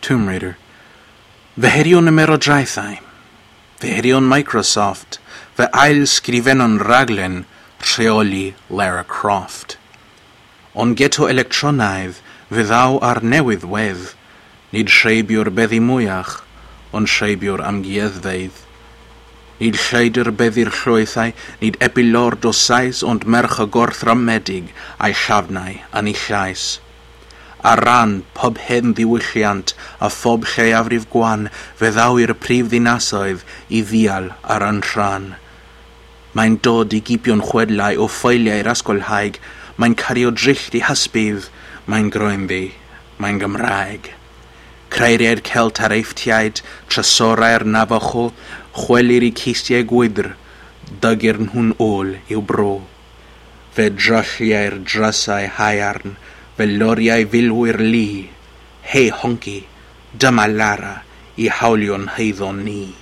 Tomb Raider. Fy herio'n ymerodraethau, fy herio'n Microsoft, fy ail-sgrifenno'n rhaglen rheoli Lara Croft. Ond geto electronaidd fe ddaw ar newydd wedd, nid rheibiwr beddi mwyach, ond rheibiwr amgueddfeydd. Nid lleidr beddi'r llwythau, nid epilord o Sais, ond merch y gorthrymedig a'i llafnau yn ei llais. Ar ran pob hen ddiwylliant a phob lleiafrif gwan, fe ddaw i'r prif ddinasoedd i ddial ar yn rhan. Mae'n dod i gipio'n chwedlau o ffeiliau'r ysgolhaig, mae'n cario dryll i hysbydd, mae'n groenddu, mae'n Gymraeg. Creiriau'r Celt a'r Eifftiaid, trysorau'r Navajo, chwelir i cistiau gwydr, dygir nhw'n ôl i'w bro. Fe drylliau'r drysau haearn, fe loriau filwyr lu. Hei honci, dyma Lara i hawlio'n heiddo ni.